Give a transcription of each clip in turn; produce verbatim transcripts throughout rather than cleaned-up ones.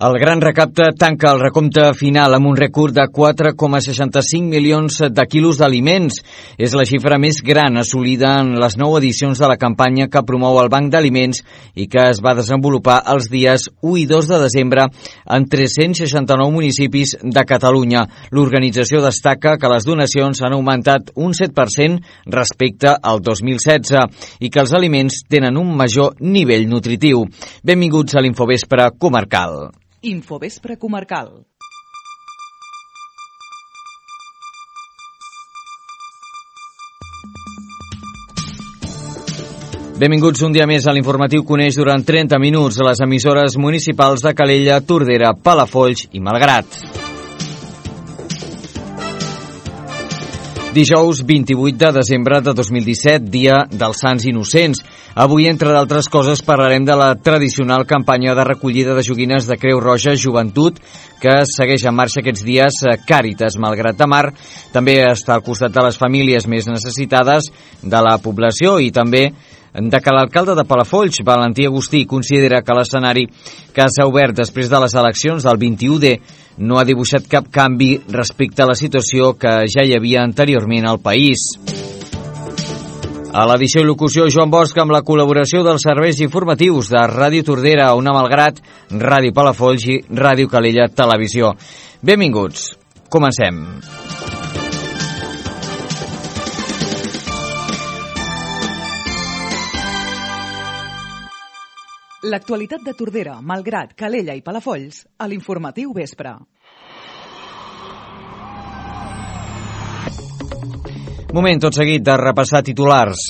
El gran recapte tanca el recompte final amb un rècord de quatre coma seixanta-cinc milions de quilos d'aliments. És la xifra més gran assolida en les nou edicions de la campanya que promou el Banc d'Aliments i que es va desenvolupar els dies u i dos de desembre en tres-cents seixanta-nou municipis de Catalunya. L'organització destaca que les donacions han augmentat un set per cent respecte al dos mil setze i que els aliments tenen un major nivell nutritiu. Benvinguts a l'Infovespre Comarcal. Infovespre Comarcal. Benvinguts un dia més a l'informatiu que uneix durant trenta minuts a les emissores municipals de Calella, Tordera, Palafolls i Malgrat. Dijous vint-i-vuit de desembre de dos mil disset, dia dels Sants Innocents. Avui, entre d'altres coses, parlarem de la tradicional campanya de recollida de joguines de Creu Roja Joventut que segueix en marxa aquests dies Càritas Malgrat de Mar. També està al costat de les famílies més necessitades de la població i també de que l'alcalde de Palafolls, Valentí Agustí, considera que l'escenari que s'ha obert després de les eleccions del vint-i-u de no ha dibuixat cap canvi respecte a la situació que ja hi havia anteriorment al país. A l'edició i locució, Joan Bosch, amb la col·laboració dels serveis informatius de Ràdio Tordera, Ona Malgrat, Ràdio Palafolls i Ràdio Calella Televisió. Benvinguts. Comencem. L'actualitat de Tordera, Malgrat, Calella i Palafolls a l'Informatiu Vespre. Moment tot seguit de repassar titulars.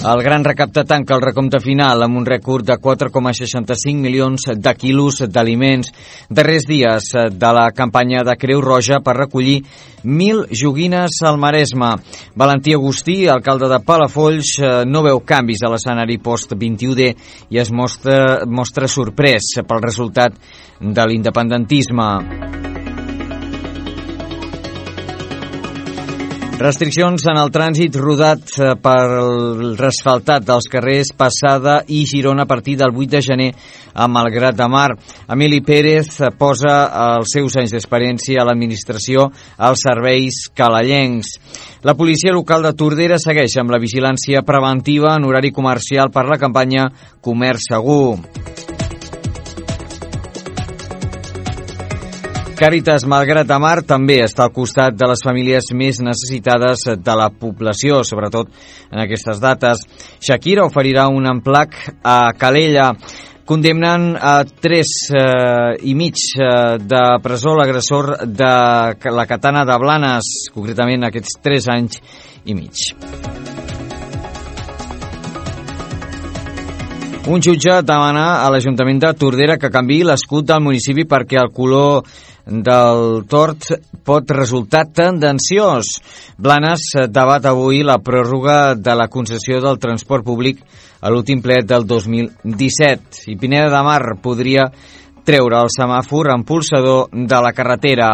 El gran recapte tanca el recompte final amb un rècord de quatre coma seixanta-cinc milions de quilos d'aliments. Darrers dies de la campanya de Creu Roja per recollir mil joguines al Maresme. Valentí Agustí, alcalde de Palafolls, no veu canvis a l'escenari post vint-i-u de i es mostra, mostra sorprès pel resultat de l'independentisme. Restriccions en el trànsit rodat per el resfaltat dels carrers Passada i Girona a partir del vuit de gener a Malgrat de Mar. Emili Pérez posa els seus anys d'experiència a l'administració als serveis calellencs. La policia local de Tordera segueix amb la vigilància preventiva en horari comercial per la campanya Comerç Segur. Càritas Malgrat de Mar també està al costat de les famílies més necessitades de la població, sobretot en aquestes dates. Shakira oferirà un emplac a Calella. Condemnen a tres eh, i mig eh, de presó l'agressor de la Katana de Blanes, concretament aquests tres anys i mig. Un jutge demana a l'Ajuntament de Tordera que canviï l'escut del municipi perquè el color del tort pot resultar tendenciós. Blanes debat avui la pròrroga de la concessió del transport públic a l'últim ple del dos mil disset. I Pineda de Mar podria treure el semàfor impulsador de la carretera.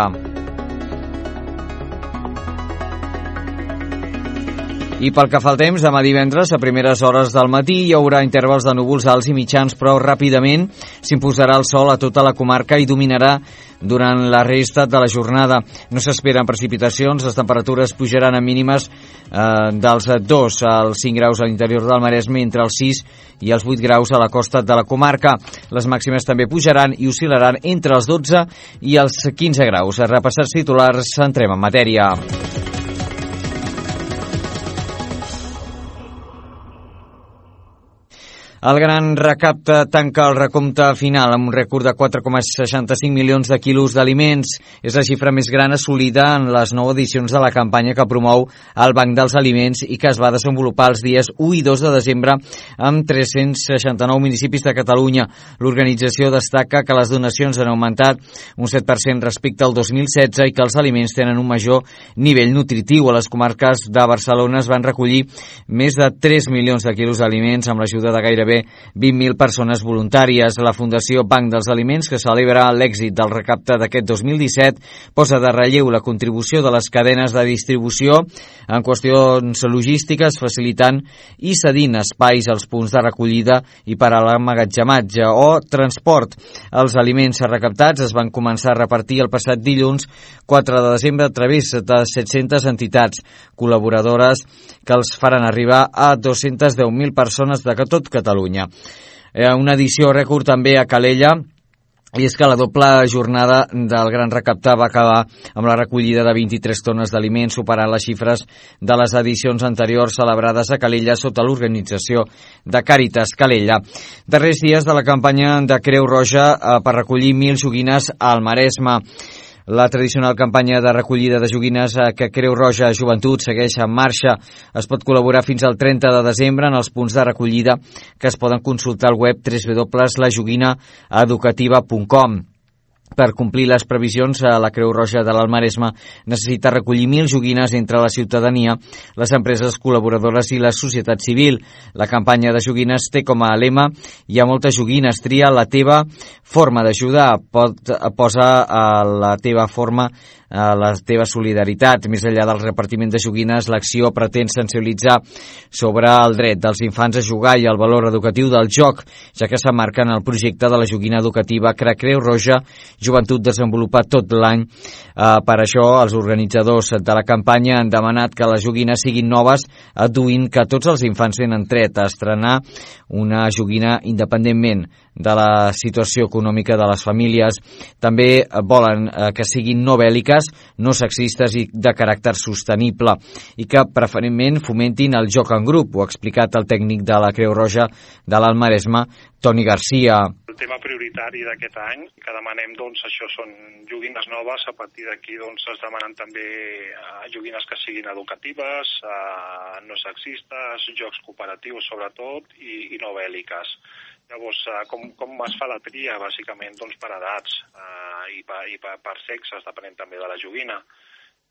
I pel que fa al temps, demà divendres, a primeres hores del matí, hi haurà intervals de núvols alts i mitjans, però ràpidament s'imposarà el sol a tota la comarca i dominarà durant la resta de la jornada. No s'esperen precipitacions, les temperatures pujaran a mínimes eh, dels dos als cinc graus a l'interior del Maresme, entre els sis i els vuit graus a la costa de la comarca. Les màximes també pujaran i oscil·laran entre els dotze i els quinze graus. A repassats titulars, entrem en matèria. El gran recapte tanca el recompte final amb un rècord de quatre coma seixanta-cinc milions de quilos d'aliments. És la xifra més gran assolida en les nou edicions de la campanya que promou el Banc dels Aliments i que es va desenvolupar els dies u i dos de desembre amb tres-cents seixanta-nou municipis de Catalunya. L'organització destaca que les donacions han augmentat un set per cent respecte al dos mil setze i que els aliments tenen un major nivell nutritiu. A les comarques de Barcelona es van recollir més de tres milions de quilos d'aliments amb l'ajuda de gairebé gairebé vint mil persones voluntàries. La Fundació Banc dels Aliments, que celebra l'èxit del recapte d'aquest dos mil disset, posa de relleu la contribució de les cadenes de distribució en qüestions logístiques, facilitant i cedint espais als punts de recollida i per a l'emmagatzematge o transport. Els aliments recaptats es van començar a repartir el passat dilluns quatre de desembre a través de set-centes entitats col·laboradores que els faran arribar a dos-centes deu mil persones de tot Catalunya. Una edició rècord també a Calella, i és que la doble jornada del Gran Recaptar va acabar amb la recollida de vint-i-tres tones d'aliments, superant les xifres de les edicions anteriors celebrades a Calella sota l'organització de Càritas Calella. Darrers dies de la campanya de Creu Roja per recollir mil joguines al Maresme. La tradicional campanya de recollida de joguines que Creu Roja Joventut segueix en marxa. Es pot col·laborar fins al trenta de desembre en els punts de recollida que es poden consultar al web w w w punt la joguina educativa punt com. Per complir les previsions, la Creu Roja de l'Alt Maresme necessita recollir mil joguines entre la ciutadania, les empreses col·laboradores i la societat civil. La campanya de joguines té com a lema "Hi ha moltes joguines, tria la teva forma d'ajudar", pot posar a la teva forma a la teva solidaritat. Més enllà del repartiment de joguines, l'acció pretén sensibilitzar sobre el dret dels infants a jugar i el valor educatiu del joc, ja que s'emmarca en el projecte de la joguina educativa que Creu Roja Joventut desenvolupa tot l'any. Uh, per això, els organitzadors de la campanya han demanat que les joguines siguin noves, adduint que tots els infants tenen dret a estrenar una joguina independentment de la situació econòmica de les famílies. També volen eh, que siguin no bèl·liques, no sexistes i de caràcter sostenible, i que preferentment fomentin el joc en grup. Ho ha explicat el tècnic de la Creu Roja de l'Alt Maresme, Toni Garcia. El tema prioritari d'aquest any que demanem, doncs, això són joguines noves. A partir d'aquí, doncs, es demanen també uh, joguines que siguin educatives, uh, no sexistes, jocs cooperatius sobretot i, i no bèl·liques. Llavors, uh, com, com es fa la tria? Bàsicament, doncs, per edats uh, i, per, i per, per sexes, depenent també de la joguina.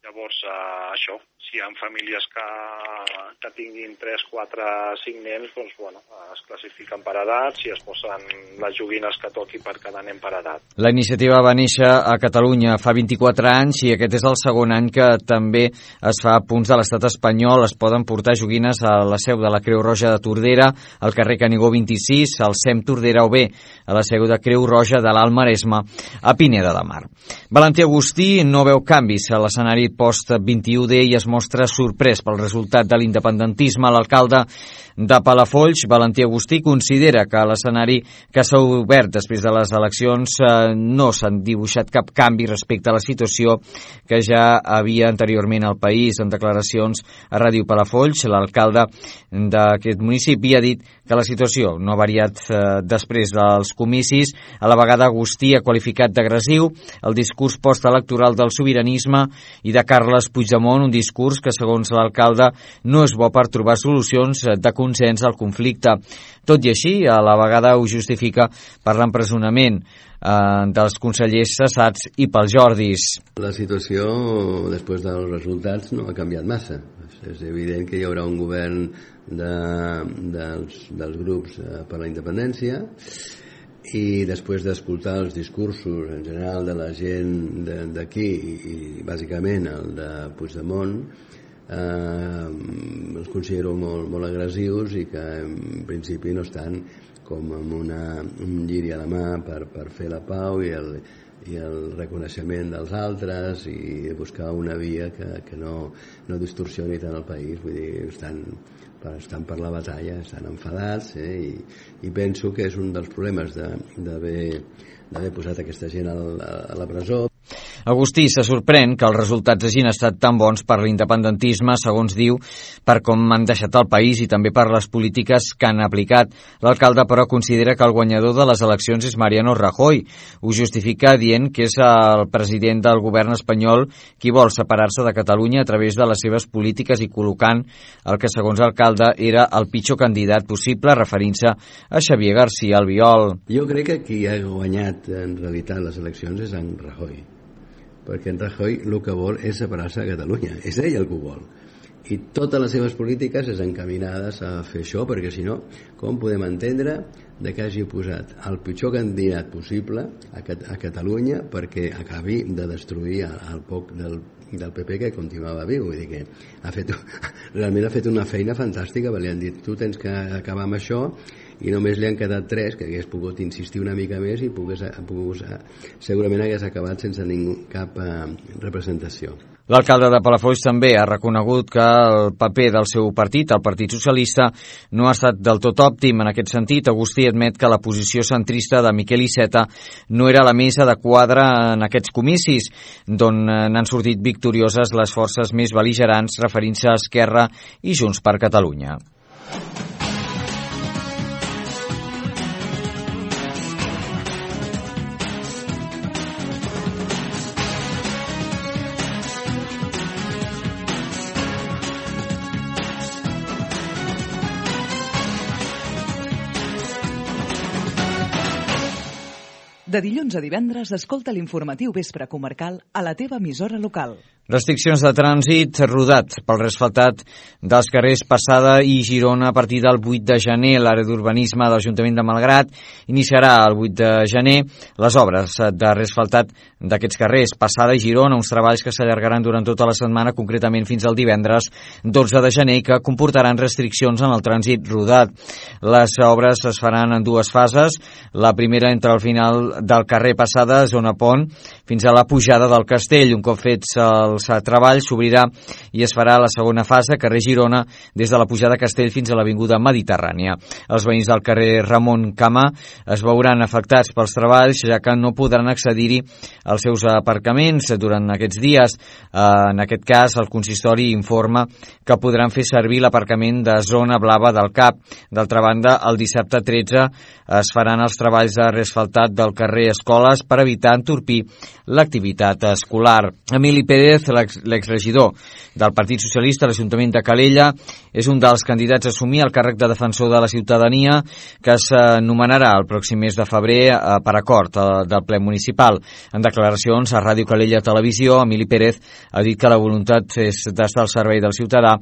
Llavors, uh, això, si hi ha famílies que, que tinguin tres, quatre, cinc nens, doncs, bueno, es classifiquen per edats i es posen les joguines que toqui per cada nen per edat. La iniciativa va néixer a Catalunya fa vint-i-quatre anys i aquest és el segon any que també es fa a punts de l'estat espanyol. Es poden portar joguines a la seu de la Creu Roja de Tordera, al carrer Canigó vint-i-sis, al C E M Tordera, o bé a la seu de Creu Roja de l'Alt Maresme, a Pineda de Mar. Valentí Agustí no veu canvis a l'escenari post vint-i-u D i es mostra sorprès pel resultat de l'independentisme. L'alcalde de Palafolls, Valentí Agustí, considera que l'escenari que s'ha obert després de les eleccions eh, no s'han dibuixat cap canvi respecte a la situació que ja havia anteriorment al país. En declaracions a Ràdio Palafolls, l'alcalde d'aquest municipi ha dit que la situació no ha variat eh, després dels comicis. A la vegada, Agustí ha qualificat d'agressiu el discurs postelectoral del sobiranisme i de Carles Puigdemont, un discurs que, segons l'alcalde, no és bo per trobar solucions de consens al conflicte. Tot i així, a la vegada ho justifica per l'empresonament eh, dels consellers cessats i pels Jordis. La situació, després dels resultats, no ha canviat massa. És evident que hi haurà un govern de, dels, dels grups per la independència, i després d'escoltar els discursos en general de la gent d'aquí i, i bàsicament el de Puigdemont, eh, els considero molt, molt agressius i que en principi no estan com amb una, un lliri a la mà per, per fer la pau i el, i el reconeixement dels altres i buscar una via que, que no, no distorsioni tant el país. Vull dir, estan, estan per la batalla, estan enfadats, eh, i, i penso que és un dels problemes d'haver posat aquesta gent a la, a la presó. Agustí se sorprèn que els resultats hagin estat tan bons per l'independentisme, segons diu, per com han deixat el país i també per les polítiques que han aplicat. L'alcalde, però, considera que el guanyador de les eleccions és Mariano Rajoy. Ho justifica dient que és el president del govern espanyol qui vol separar-se de Catalunya a través de les seves polítiques i col·locant el que, segons l'alcalde, era el pitjor candidat possible, referint-se a Xavier García Albiol. Jo crec que qui ha guanyat en realitat les eleccions és en Rajoy, perquè en Rajoy el que vol és separar-se de Catalunya, és ell el que ho vol, i totes les seves polítiques és encaminades a fer això, perquè si no, com podem entendre de que hagi posat el pitjor candidat possible a, a Catalunya perquè acabi de destruir el, el poc del, del P P que continuava viu? Vull dir que ha fet, realment ha fet una feina fantàstica, perquè li han dit tu tens que acabar amb això, i només li han quedat tres, que hagués pogut insistir una mica més i pogués, pogués, segurament hagués acabat sense ningú, cap eh, representació. L'alcalde de Palafolls també ha reconegut que el paper del seu partit, el Partit Socialista, no ha estat del tot òptim. En aquest sentit, Agustí admet que la posició centrista de Miquel Iceta no era la més adequada en aquests comicis, d'on n'han sortit victorioses les forces més bel·ligerants, referint-se a Esquerra i Junts per Catalunya. De dilluns a divendres, escolta l'informatiu Vespre Comarcal a la teva emissora local. Restriccions de trànsit rodat pel resfaltat dels carrers Passada i Girona a partir del vuit de gener. L'àrea d'urbanisme de l'Ajuntament de Malgrat iniciarà el vuit de gener les obres de resfaltat d'aquests carrers Passada i Girona, uns treballs que s'allargaran durant tota la setmana, concretament fins al divendres dotze de gener, que comportaran restriccions en el trànsit rodat. Les obres es faran en dues fases. La primera entre el final del carrer Passada, zona Pont, fins a la pujada del Castell. Un cop fets els treballs, s'obrirà i es farà la segona fase, carrer Girona, des de la pujada Castell fins a l'avinguda Mediterrània. Els veïns del carrer Ramon Camà es veuran afectats pels treballs, ja que no podran accedir-hi als seus aparcaments durant aquests dies. En aquest cas, el consistori informa que podran fer servir l'aparcament de zona blava del C A P. D'altra banda, el dissabte tretze es faran els treballs de resfaltat del carrer Escoles per evitar entorpir l'activitat escolar. Emili Pérez, l'exregidor del Partit Socialista a l'Ajuntament de Calella, és un dels candidats a assumir el càrrec de defensor de la ciutadania, que s'anomenarà el pròxim mes de febrer per acord del ple municipal. En declaracions a Ràdio Calella Televisió, Emili Pérez ha dit que la voluntat és d'estar al servei del ciutadà,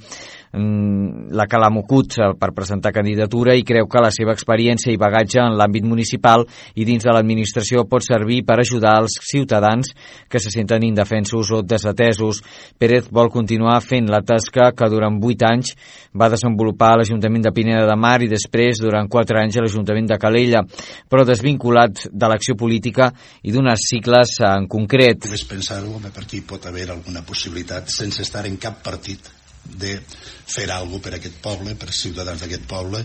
la que l'ha mogut per presentar candidatura, i creu que la seva experiència i bagatge en l'àmbit municipal i dins de l'administració pot servir per ajudar els ciutadans que se senten indefensos o desatesos. Pérez vol continuar fent la tasca que durant vuit anys va desenvolupar a l'Ajuntament de Pineda de Mar i després durant quatre anys a l'Ajuntament de Calella, però desvinculat de l'acció política i d'unes sigles en concret. Només pensar-ho, per aquí pot haver alguna possibilitat, sense estar en cap partit, de fer alguna cosa per aquest poble, per ciutadans d'aquest poble,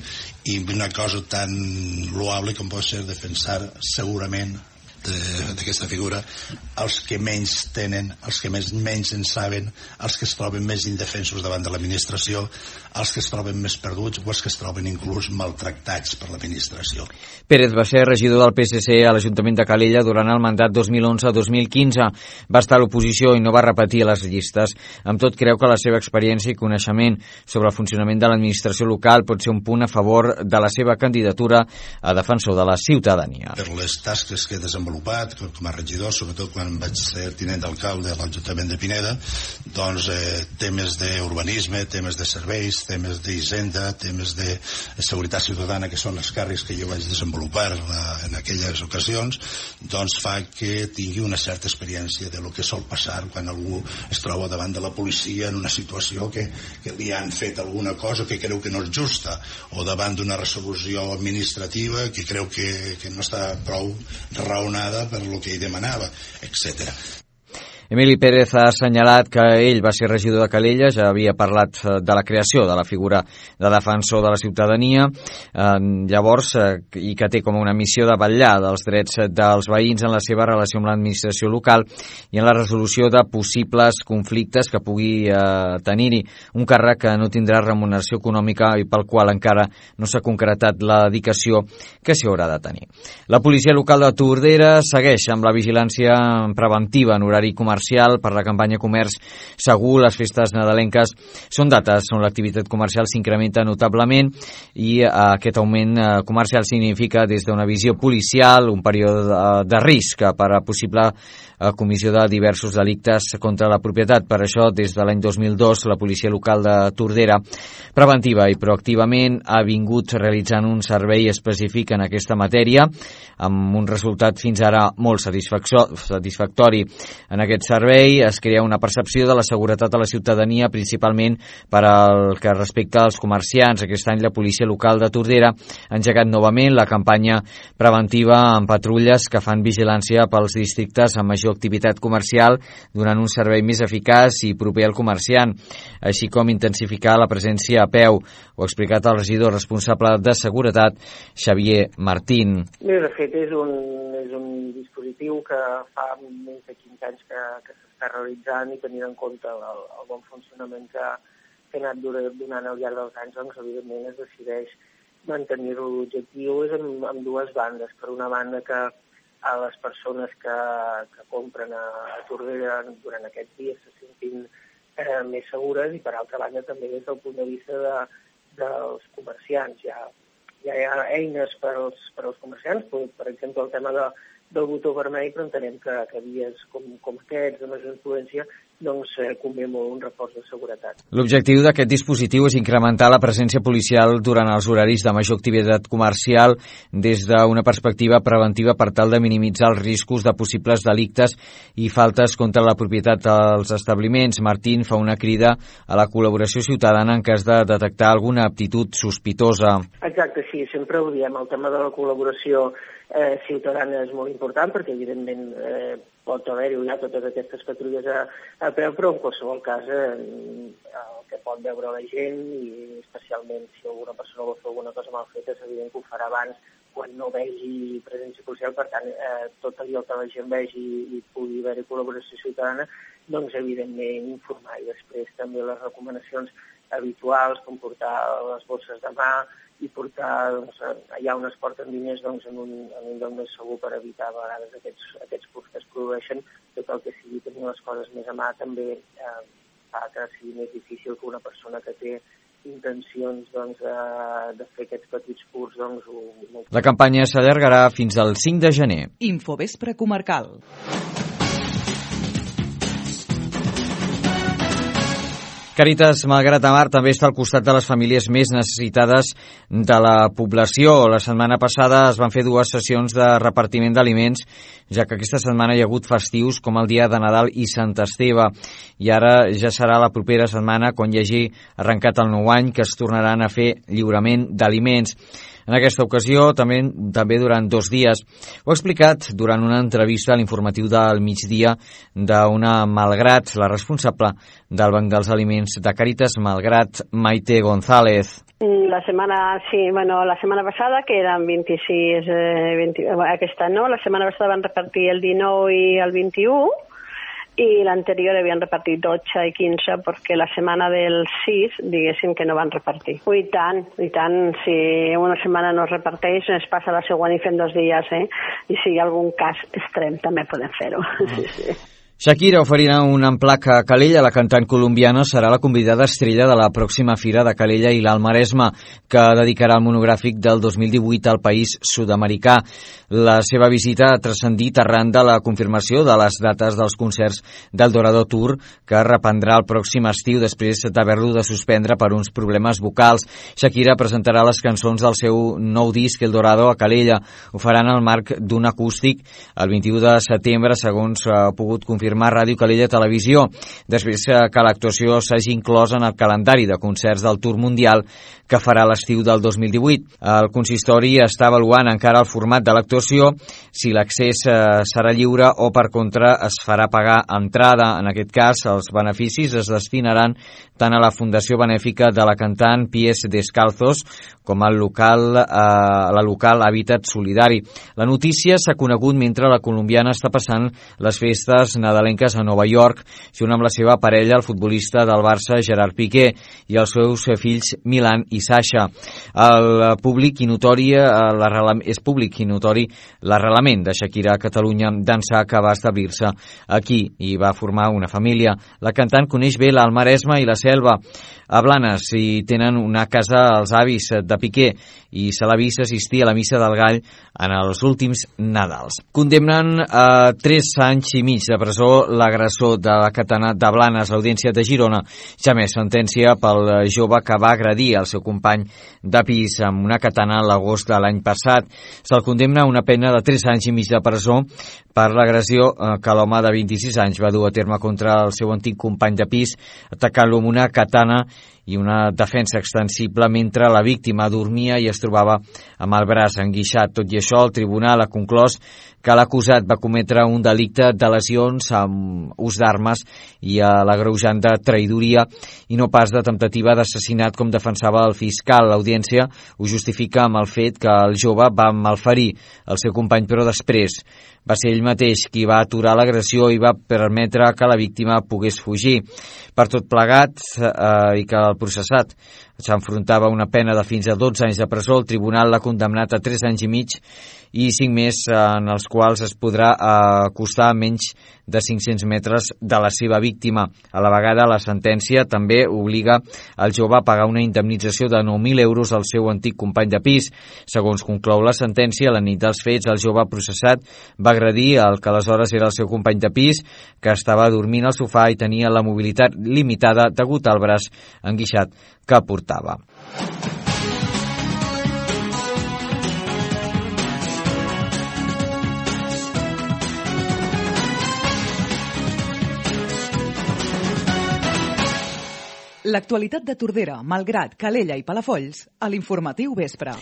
i una cosa tan loable com pot ser defensar segurament d'aquesta figura els que menys tenen, els que més, menys en saben, els que es troben més indefensos davant de l'administració, els que es troben més perduts o els que es troben inclús maltractats per l'administració. Pérez va ser regidor del P S C a l'Ajuntament de Calella durant el mandat dos mil onze a dos mil quinze. Va estar a l'oposició i no va repetir les llistes. Amb tot, creu que la seva experiència i coneixement sobre el funcionament de l'administració local pot ser un punt a favor de la seva candidatura a defensor de la ciutadania. Per les tasques que he desenvolupat com a regidor, sobretot quan vaig ser tinent d'alcalde a l'Ajuntament de Pineda, doncs eh, temes d'urbanisme, temes de serveis, temes d'hisenda, temes de seguretat ciutadana, que són els càrrecs que jo vaig desenvolupar en aquelles ocasions, doncs fa que tingui una certa experiència de lo que sol passar quan algú es troba davant de la policia en una situació que, que li han fet alguna cosa que creu que no és justa, o davant d'una resolució administrativa que creu que, que no està prou raonada per lo que ell demanava, etcètera. Emili Pérez ha assenyalat que ell va ser regidor de Calella, ja havia parlat de la creació de la figura de defensor de la ciutadania, eh, llavors, eh, i que té com una missió de vetllar dels drets dels veïns en la seva relació amb l'administració local i en la resolució de possibles conflictes que pugui eh, tenir-hi. Un càrrec que no tindrà remuneració econòmica i pel qual encara no s'ha concretat la dedicació que s'hi haurà de tenir. La policia local de Tordera segueix amb la vigilància preventiva en horari comarcal comercial per la campanya Comerç Segur. Les festes nadalenques són dates on l'activitat comercial s'incrementa notablement i eh, aquest augment eh, comercial significa des d'una visió policial un període de, de risc per a possible eh, comissió de diversos delictes contra la propietat. Per això, des de l'any dos mil dos, la policia local de Tordera preventiva i proactivament ha vingut realitzant un servei específic en aquesta matèria amb un resultat fins ara molt satisfactori. En aquest servei es crea una percepció de la seguretat a la ciutadania, principalment per al que respecta als comerciants. Aquest any la policia local de Tordera ha engegat novament la campanya preventiva amb patrulles que fan vigilància pels districtes amb major activitat comercial, donant un servei més eficaç i proper al comerciant, així com intensificar la presència a peu. Ho ha explicat el regidor responsable de seguretat, Xavier Martín. Bé, de fet, és un, és un dispositiu que fa més de quinze anys que, que s'està realitzant i tenint en compte el, el bon funcionament que, que ha anat donant al llarg dels anys, doncs, evidentment, es decideix mantenir-ho. L'objectiu és amb, amb dues bandes. Per una banda, que a les persones que, que compren a, a Tordera durant aquests dies se sentin eh, més segures i, per altra banda, també des del punt de vista de, dels comerciants. Ja, ja hi ha eines per als, per als comerciants, per, per exemple, el tema de, del botó vermell, però entenem que, que dies com, com aquests, de major influència, doncs eh, convé molt un reforç de seguretat. L'objectiu d'aquest dispositiu és incrementar la presència policial durant els horaris de major activitat comercial des d'una perspectiva preventiva per tal de minimitzar els riscos de possibles delictes i faltes contra la propietat dels establiments. Martín fa una crida a la col·laboració ciutadana en cas de detectar alguna aptitud sospitosa. Exacte, sí, sempre ho diem. El tema de la col·laboració eh, ciutadana és molt important perquè, evidentment, eh, pot haver-hi ja totes aquestes patrulles a, a peu, però en qualsevol cas eh, el que pot veure la gent, i especialment si alguna persona vol fer alguna cosa mal feta, és evident que ho farà abans quan no vegi presència policial. Per tant, eh, tot allò que la gent vegi i pugui haver-hi col·laboració ciutadana, doncs evidentment informar. I després també les recomanacions habituals, com portar les bosses de mà i portar, doncs, allà on es porten diners, doncs, en un, en un lloc més segur per evitar a vegades aquests, aquests furts que es produeixen. Tot el que sigui tenir les coses més a mà també eh, fa que sigui més difícil que una persona que té intencions, doncs, de, de fer aquests petits furts, doncs, ho... La campanya s'allargarà fins al cinc de gener. Infovespre comarcal. Càritas Malgrat de Mar també està al costat de les famílies més necessitades de la població. La setmana passada es van fer dues sessions de repartiment d'aliments, ja que aquesta setmana hi ha hagut festius com el dia de Nadal i Sant Esteve. I ara ja serà la propera setmana, quan hi hagi arrencat el nou any, que es tornaran a fer lliurament d'aliments. En aquesta ocasió, també, també durant dos dies. Ho ha explicat durant una entrevista a l'informatiu del migdia d'una Malgrat, la responsable del Banc dels Aliments de Càritas Malgrat, Maite González. La setmana, sí, bueno, la setmana passada, que eren vint-i-sis, eh, vint, aquesta no, la setmana passada van repartir el dinou i el vint-i-u, i l'anterior havien repartit dotze i quinze, perquè la setmana del sis, diguéssim que no van repartir. I tant, i tant, si una setmana no es reparteix, es passa la següent i fem dos dies, eh? I si hi ha algun cas extrem, també podem fer-ho. Sí, sí. Shakira oferirà un emplac a Calella. La cantant colombiana serà la convidada estrella de la pròxima Fira de Calella i l'Alt Maresme, que dedicarà el monogràfic del dos mil divuit al país sud-americà. La seva visita ha transcendit arran de la confirmació de les dates dels concerts del Dorado Tour, que reprendrà el pròxim estiu després d'haver-lo de suspendre per uns problemes vocals. Shakira presentarà les cançons del seu nou disc, El Dorado, a Calella. Ho faran al marc d'un acústic el vint-i-u de setembre, segons ha pogut confirmar Ràdio Calella Televisió, després que l'actuació s'hagi inclòs en el calendari de concerts del Tour Mundial que farà l'estiu del dos mil divuit. El consistori està avaluant encara el format de l'actuació, si l'accés serà lliure o, per contra, es farà pagar entrada. En aquest cas, els beneficis es destinaran tant a la Fundació Benèfica de la cantant Pies Descalzos com al local, a la local Hàbitat Solidari. La notícia s'ha conegut mentre la colombiana està passant les festes Nadal cadalenques a Nova York, junt amb la seva parella, el futbolista del Barça, Gerard Piqué, i els seus fills Milan i Sasha. El públic i notori, és públic i notori l'arrelament de Shakira a Catalunya d'ençà que va establir-se aquí i va formar una família. La cantant coneix bé l'Alt Maresme i la Selva. A Blanes hi tenen una casa als avis de Piqué i se l'ha vist assistir a la missa del Gall en els últims Nadals. Condemnen a tres anys i mig de presó l'agressor de la katana de Blanes. L'Audiència de Girona ja més sentència pel jove que va agredir el seu company de pis amb una katana l'agost de l'any passat. Se'l condemna a una pena de tres anys i mig de presó per l'agressió que l'home de vint-i-sis anys va dur a terme contra el seu antic company de pis, atacant-lo amb una katana i una defensa extensible mentre la víctima dormia i es trobava amb el braç enguixat. Tot i això, el tribunal ha conclòs que l'acusat va cometre un delicte de lesions amb ús d'armes i a l'agreujant de traïdoria i no pas de temptativa d'assassinat com defensava el fiscal. L'audiència ho justifica amb el fet que el jove va malferir el seu company, però després va ser ell mateix qui va aturar l'agressió i va permetre que la víctima pogués fugir. Per tot plegat eh, i que el processat s'enfrontava a una pena de fins a dotze anys de presó, el tribunal l'ha condemnat a tres anys i mig i cinc més en els quals es podrà acostar a menys de cinc-cents metres de la seva víctima. A la vegada, la sentència també obliga el jove a pagar una indemnització de nou mil euros al seu antic company de pis. Segons conclou la sentència, la nit dels fets, el jove processat va agredir el que aleshores era el seu company de pis, que estava dormint al sofà i tenia la mobilitat limitada degut al braç enguixat que portava. L'actualitat de Tordera, Malgrat, Calella i Palafolls a l'Informatiu Vespre.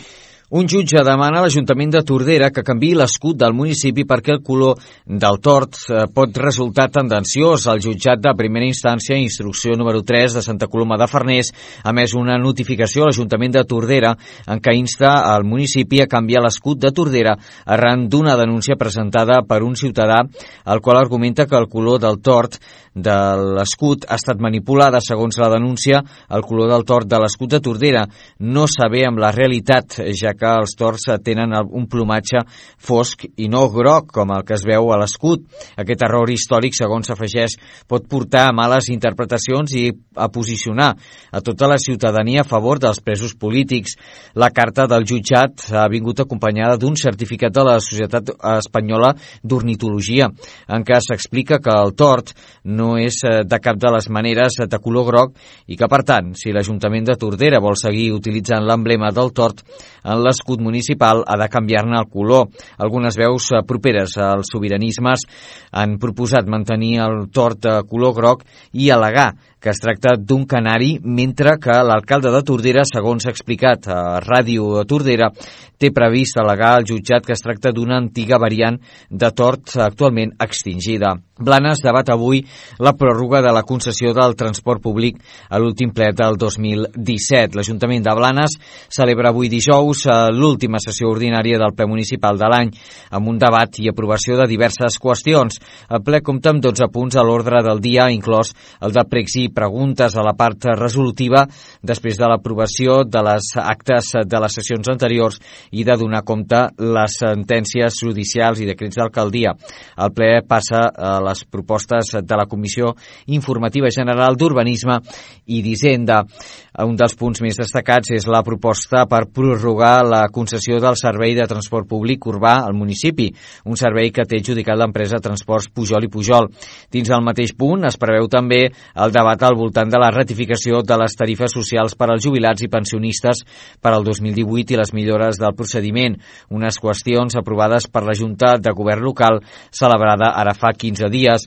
Un jutge demana a l'Ajuntament de Tordera que canviï l'escut del municipi perquè el color del tord pot resultar tendenciós. El jutjat de primera instància, instrucció número tres de Santa Coloma de Farners, ha emès una notificació a l'Ajuntament de Tordera en què insta al municipi a canviar l'escut de Tordera arran d'una denúncia presentada per un ciutadà, el qual argumenta que el color del tord de l'escut ha estat manipulada. Segons la denúncia, el color del tord de l'escut de Tordera no s'avé amb la realitat, ja que els tords tenen un plomatge fosc i no groc, com el que es veu a l'escut. Aquest error històric, segons s'afegeix, pot portar a males interpretacions i a posicionar a tota la ciutadania a favor dels presos polítics. La carta del jutjat ha vingut acompanyada d'un certificat de la Societat Espanyola d'Ornitologia, en què s'explica que el tord no és de cap de les maneres de color groc i que, per tant, si l'Ajuntament de Tordera vol seguir utilitzant l'emblema del tord en l'escut municipal, ha de canviar-ne el color. Algunes veus properes als sobiranismes han proposat mantenir el tord de color groc i al·legar que es tracta d'un canari, mentre que l'alcalde de Tordera, segons s'ha explicat a Ràdio Tordera, té previst al·legar al jutjat que es tracta d'una antiga variant de tord actualment extingida. Blanes debat avui la pròrroga de la concessió del transport públic a l'últim ple del dos mil disset. L'Ajuntament de Blanes celebra avui dijous l'última sessió ordinària del ple municipal de l'any, amb un debat i aprovació de diverses qüestions. El ple compta amb dotze punts a l'ordre del dia, inclòs el de pregs i preguntes a la part resolutiva després de l'aprovació de les actes de les sessions anteriors i de donar compte les sentències judicials i decrets d'alcaldia. El ple passa a les propostes de la Comissió Informativa General d'Urbanisme i d'Hisenda. Un dels punts més destacats és la proposta per prorrogar la concessió del servei de transport públic urbà al municipi, un servei que té adjudicat l'empresa Transports Pujol i Pujol. Dins del mateix punt es preveu també el debat al voltant de la ratificació de les tarifes socials per als jubilats i pensionistes per al dos mil divuit i les millores del procediment, unes qüestions aprovades per la Junta de Govern local celebrada ara fa quinze dies.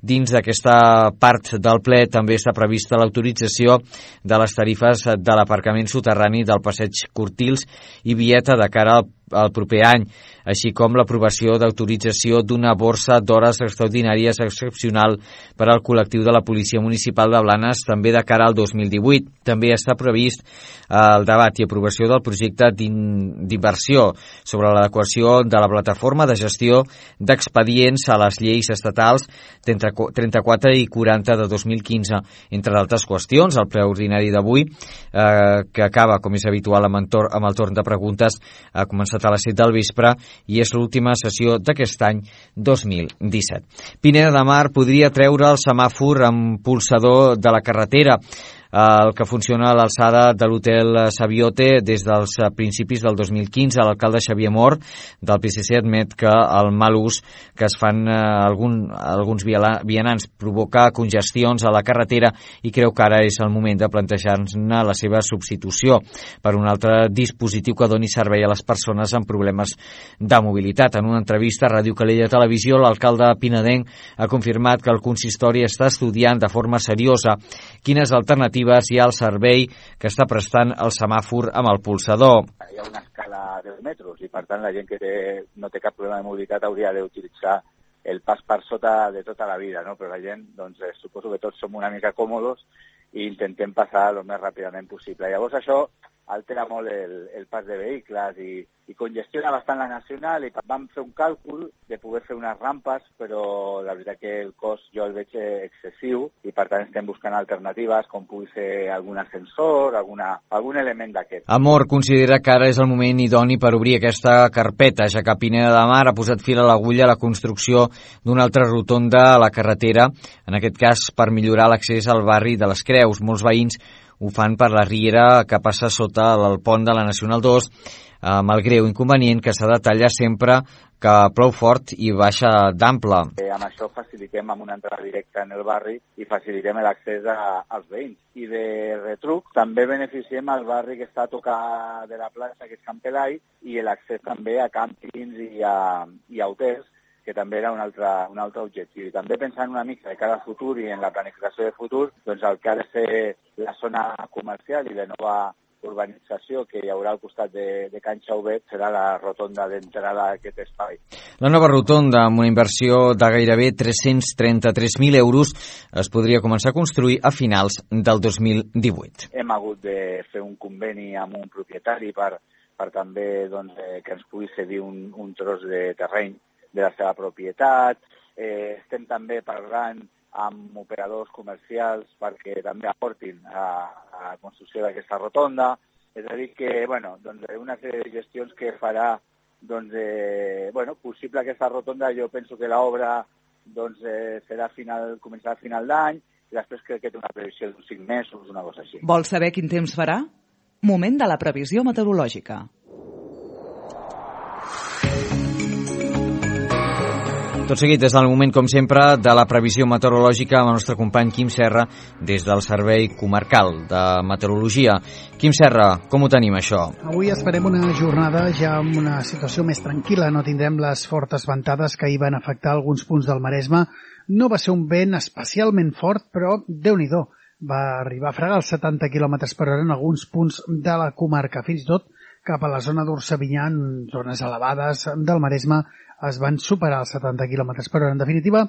Dins d'aquesta part del ple també està prevista l'autorització de les tarifes de l'aparcament soterrani del passeig Cortils i Vieta de cara al el proper any, així com l'aprovació d'autorització d'una borsa d'hores extraordinàries excepcional per al col·lectiu de la Policia Municipal de Blanes també de cara al dos mil divuit. També està previst el debat i aprovació del projecte d'inversió sobre l'adequació de la plataforma de gestió d'expedients a les lleis estatals trenta-quatre i quaranta de dos mil quinze. Entre d'altres qüestions, el ple ordinari d'avui, eh, que acaba, com és habitual, amb, entorn, amb el torn de preguntes, ha començat a les set del vespre i és l'última sessió d'aquest any dos mil disset. Pineda de Mar podria treure el semàfor amb pulsador de la carretera, el que funciona a l'alçada de l'hotel Sabiote des dels principis del dos mil quinze. L'alcalde Xavier Mor del P S C admet que el mal ús que es fan eh, algun, alguns vianants provoca congestions a la carretera i creu que ara és el moment de plantejar-ne la seva substitució per un altre dispositiu que doni servei a les persones amb problemes de mobilitat. En una entrevista a Ràdio Calella Televisió, l'alcalde pinedenc ha confirmat que el consistori està estudiant de forma seriosa quines alternatives hi ha al servei que està prestant el semàfor amb el pulsador. Hi ha una escala de dos metres i, per tant, la gent que té, no té cap problema de mobilitat hauria d'utilitzar el pas per sota de tota la vida, no? Però la gent, doncs, eh, suposo que tots som una mica còmodes i intentem passar el més ràpidament possible. Llavors, això altera molt el, el pas de vehicles i, i congestiona bastant la nacional i vam fer un càlcul de poder fer unes rampes, però la veritat que el cost jo el veig excessiu i per tant estem buscant alternatives com pugui ser algun ascensor, alguna, algun element d'aquest. Amor considera que ara és el moment idoni per obrir aquesta carpeta, ja que Pineda de Mar ha posat fil a l'agulla a la construcció d'una altra rotonda a la carretera, en aquest cas per millorar l'accés al barri de les Creus. Molts veïns ho fan per la riera que passa sota el pont de la Nacional dos, amb el greu inconvenient que s'ha de tallar sempre que plou fort i baixa d'ample. Eh, amb això facilitem amb una entrada directa en el barri i facilitem l'accés als veïns. I de retruc també beneficiem el barri que està a tocar de la plaça, que és Can Pelai, i l'accés també a càmpings i a, i a hotels, que també era un altre, un altre objectiu. I també pensant una mica de cara al futur i en la planificació de futur, doncs el que ha de ser la zona comercial i de nova urbanització que hi haurà al costat de, de Can Xauvet serà la rotonda d'entrada a aquest espai. La nova rotonda, amb una inversió de gairebé tres-cents trenta-tres mil euros, es podria començar a construir a finals del dos mil divuit. Hem hagut de fer un conveni amb un propietari per, per també doncs, eh, que ens pugui cedir un, un tros de terreny de la seva propietat. Eh, estem també parlant amb operadors comercials perquè també aportin a, a la construcció d'aquesta rotonda. És a dir que, bueno, doncs, una sèrie de gestions que farà doncs, eh, bueno, possible aquesta rotonda. Jo penso que l'obra doncs, eh, serà final, començarà a final d'any i després crec que té una previsió d'uns cinc mesos, una cosa així. Vols saber quin temps farà? Moment de la previsió meteorològica. Tot seguit, és el moment, com sempre, de la previsió meteorològica amb el nostre company Quim Serra des del Servei Comarcal de Meteorologia. Quim Serra, com ho tenim, això? Avui esperem una jornada ja amb una situació més tranquil·la. No tindrem les fortes ventades que hi van afectar alguns punts del Maresme. No va ser un vent especialment fort, però Déu-n'hi-do. Va arribar a fregar els setanta quilòmetres per hora en alguns punts de la comarca. Fins i tot cap a la zona d'Orsavinyà, en zones elevades del Maresme, es van superar els setanta quilòmetres per hora. En definitiva,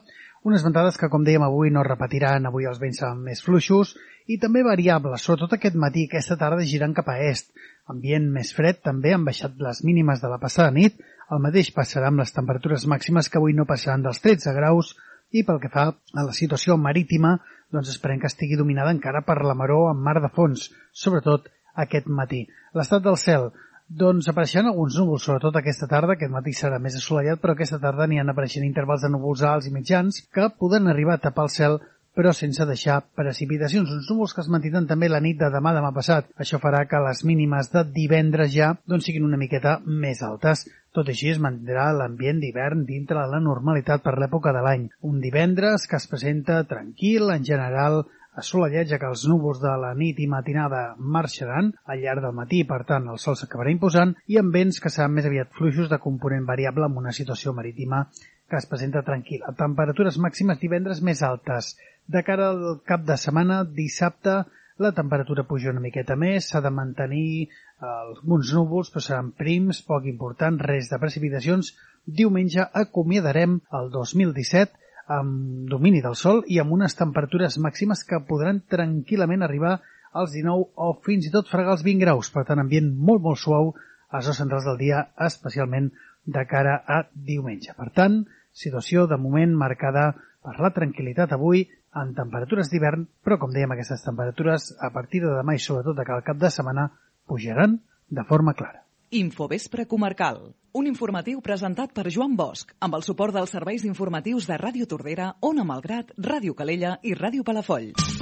unes ventades que, com dèiem avui, no repetiran. Avui els vents seran més fluixos i també variables, sobretot aquest matí, aquesta tarda girant cap a est. Ambient més fred, també han baixat les mínimes de la passada nit. El mateix passarà amb les temperatures màximes, que avui no passaran dels tretze graus. I pel que fa a la situació marítima, doncs esperem que estigui dominada encara per la maror en mar de fons, sobretot aquest matí. L'estat del cel, doncs apareixeran alguns núvols, sobretot aquesta tarda. Aquest matí serà més assolellat, però aquesta tarda n'hi han apareixent intervals de núvols alts i mitjans que poden arribar a tapar el cel, però sense deixar precipitacions. Uns núvols que es mantindran també la nit de demà demà passat. Això farà que les mínimes de divendres ja doncs siguin una miqueta més altes. Tot així es mantindrà l'ambient d'hivern dintre de la normalitat per l'època de l'any. Un divendres que es presenta tranquil, en general assolellat, ja que els núvols de la nit i matinada marxaran al llarg del matí, per tant el sol s'acabarà imposant, i amb vents que seran més aviat fluixos de component variable amb una situació marítima que es presenta tranquil·la. Temperatures màximes divendres més altes. De cara al cap de setmana, dissabte, la temperatura puja una miqueta més, s'ha de mantenir alguns núvols, però seran prims, poc important, res de precipitacions. Diumenge acomiadarem el dos mil disset amb domini del sol i amb unes temperatures màximes que podran tranquil·lament arribar als dinou o fins i tot fregar els vint graus. Per tant, ambient molt, molt suau a les hores centrals del dia, especialment de cara a diumenge. Per tant, situació de moment marcada per la tranquil·litat avui en temperatures d'hivern, però com dèiem, aquestes temperatures a partir de demà i sobretot de cada cap de setmana pujaran de forma clara. Infovespre Comarcal, un informatiu presentat per Joan Bosch, amb el suport dels serveis informatius de Ràdio Tordera, Ona Malgrat, Ràdio Calella i Ràdio Palafolls.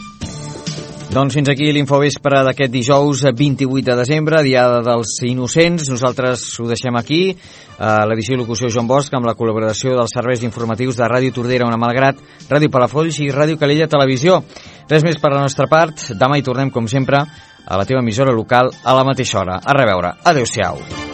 Doncs fins aquí l'Infovespre d'aquest dijous vint-i-vuit de desembre, Diada dels Innocents. Nosaltres ho deixem aquí. A l'edició i locució Joan Bosch, amb la col·laboració dels serveis informatius de Ràdio Tordera, Ona Malgrat, Ràdio Palafolls i Ràdio Calella Televisió. Res més per la nostra part. Demà hi tornem, com sempre, a la teva emissora local a la mateixa hora. A reveure. Adéu-siau.